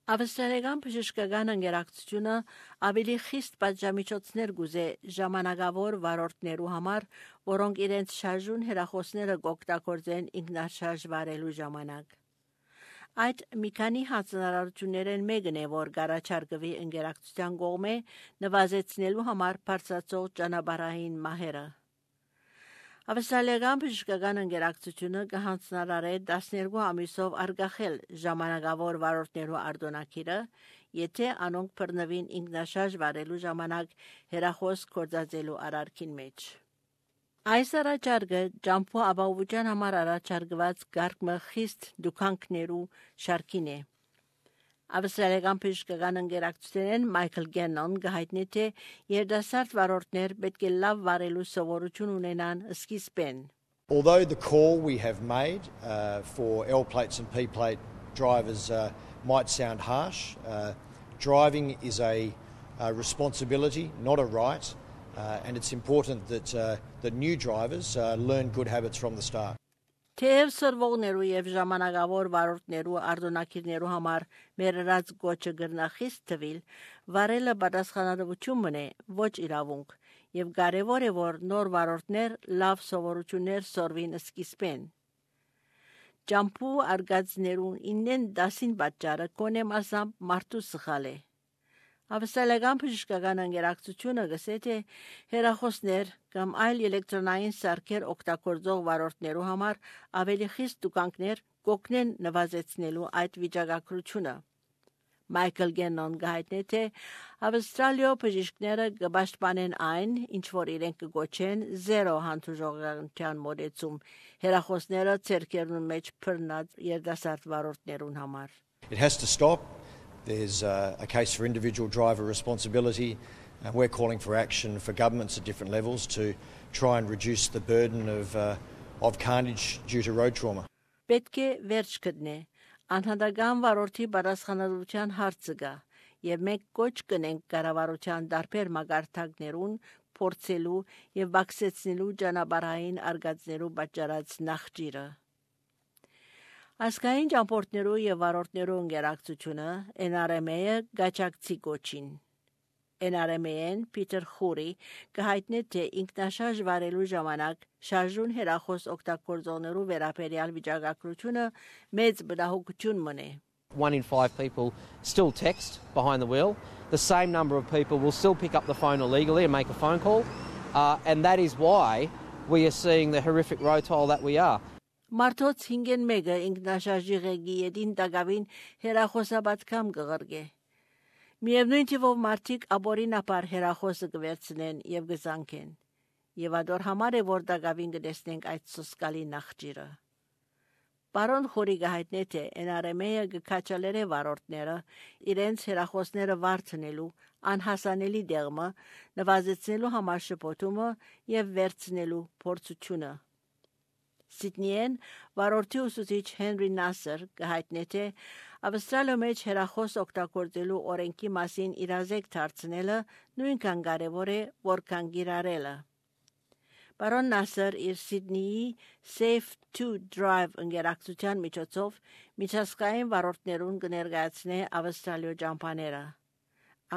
Ավստրալիական բժշկական ընկերակցությունը ավելի խիստ պատժամիջոցներ գուզե ժամանակավոր վարորդներու համար, որոնք իրենց շարժուն հեռախոսները կօգտագործեն ինքնաշարժ վարելու ժամանակ։ Այդ մի քանի հանձնարարություններն մեկն է, որ գարաչարգվի ընկերակցության կողմէ նվազեցնելու համար բարձրացող ճանապարհային մահերը։ Ավստրալիական բժշկական ընկերակցությունը կհանձնարարե 12 ամիսով արգախել ժամանակավոր վարորդներու արտոնակիրը, եթե անոնք բռնվին ինքնաշարժ վարելու ժամանակ հեռախոս գործածելու արարքին մեջ։ Այս առաջարկը ջամփու ապահովության համար առաջարկված գարկմը խիստ դուքանքներու շարքին է։ Ավստրալիական բժշկական ընկերակցությունն Մայքլ Գեննոն գահիտնի թե երիտասարդ վարորդներ պետք է լավ վարելու սովորություն ունենան սկիզբեն։ Although the call we have made for L plates and P plate drivers might sound harsh, driving is a responsibility, not a right, and it's important that new drivers learn good habits from the start. Թեև սրվողներու եւ ժամանակավոր վարորդներու արտոնակիրներու համար մերրած գոչը գրնախիստ թվիլ, վարելը պատասխանատվություն մնե, ոչ իրավունք, եւ կարեւոր է, որ նոր վարորդներ լավ սովորություններ սորվին սկիզբեն։ Ջամփու արգածներուն 9-10 պատճառը կոնե մասամբ մարդու սխալ է։ Ավստրալիական բժշկական ընկերակցությունը գսե թե հեռախոսներ կամ այլ էլեկտրոնային սարքեր օգտագործող վարորդներու համար ավելի խիստ դուքանքներ կօգնեն նվազեցնելու այդ վիճակագրությունը։ Մայքլ Գեննոն գահիտնի թե Ավստրալիո բժիշկները կպաշտպանեն այն, ինչ որ իրենք կգոչեն զերո հանդուրժողականության մոտեցում հեռախոսները ցերկերուն մեջ բռնած երիտասարդ վարորդներուն համար։ It has to stop. There's a case for individual driver responsibility, and we're calling for action for governments at different levels to try and reduce the burden of carnage due to road trauma. Պետք է վերջ գտնե անհատական վարորդի պատասխանատվության հարցը գա, եւ մենք կոչ կնենք կառավարության դարբեր մագարտակներուն փորձելու եւ բացեցնելու ճանապարհային արգածներու պատճառած նախճիրը։ Ասկային ճամփորդներու եւ վարորդներու ընկերակցությունը NRMA-ը գաչակցի գոչին։ NRMA-ն Պիտեր Խուրի կհայտնի թե ինքնաշարժ վարելու ժամանակ շարժուն հեռախոս օգտագործողներու վերաբերյալ վիճակագրությունը մեծ բնահոգություն մնե։ 1 in 5 people still text behind the wheel. The same number of people will still pick up the phone illegally and make a phone call. And that is why we are seeing the horrific road toll that we are. Մարդոց 5-ն 1-ը ինքնաշարժի ղեկի ետին տակավին հեռախոսաբացկամ կղրգե։ Միևնույն թիվով մարդիկ ապօրինաբար հեռախոսը կվերցնեն եւ կզանգեն։ Եվ ադոր համար է, որ տակավին կտեսնենք այդ սոսկալի նախճիրը։ Պարոն Խորի գահիտնի թե NRMA-ը կքաչալերե վարորդները իրենց հեռախոսները վարձնելու անհասանելի դեղմը նվազեցնելու համար շփոթումը եւ վերցնելու փորձությունը։ Սիդնիեն վարորդի ուսուցիչ Հենրի Նասեր գահիտնի թե Ավստրալիա մեջ հեռախոս օգտագործելու օրենքի մասին իրազեկ դարձնելը նույնքան կարևոր է, որքան գիրառելը։ Պարոն Նասեր իր Սիդնիի Safe to Drive ընկերակցության միջոցով միջազգային վարորդներուն կներկայացնե Ավստրալիո ճամփաները։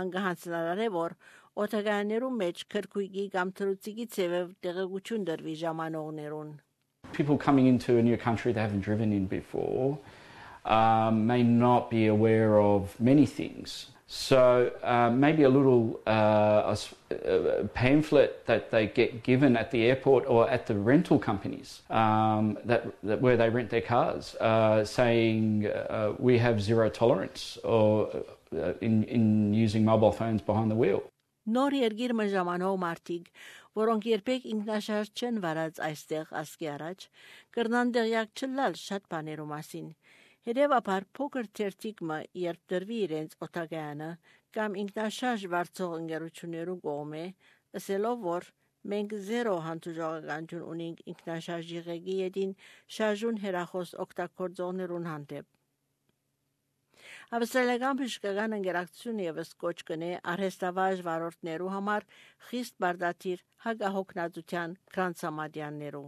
Անգահանցնարար է, որ օտագաներու մեջ քրկույկի կամ թրուցիկի ցևով տեղեկություն դրվի ժամանողներուն։ People coming into a new country they haven't driven in before may not be aware of many things. So maybe a little pamphlet that they get given at the airport or at the rental companies that where they rent their cars, saying we have zero tolerance or in using mobile phones behind the wheel. Նոր երգիրը ժամանող մարդիկ, որոնք երբեք ինքնաշարժ չեն վարած այստեղ ասկի առաջ, կրնան դեղյակ չլալ շատ բաներու մասին։ Հետևաբար փոքր թերթիկը երբ դրվի իրենց օտագայանը կամ ինքնաշարժ վարձող ընկերություններու կողմէ, ասելով որ մենք զերո հանդուրժողականություն ունենք ինքնաշարժի ղեկի ետին շարժուն հեռախոս օգտագործողներուն հանդեպ։ Ավստրալիական բժշկական ընկերակցությունը ևս կոչ կնե արհեստավարժ վարորդներու համար խիստ բարդաթիր հագահոգնածության կրանցամատյաններու։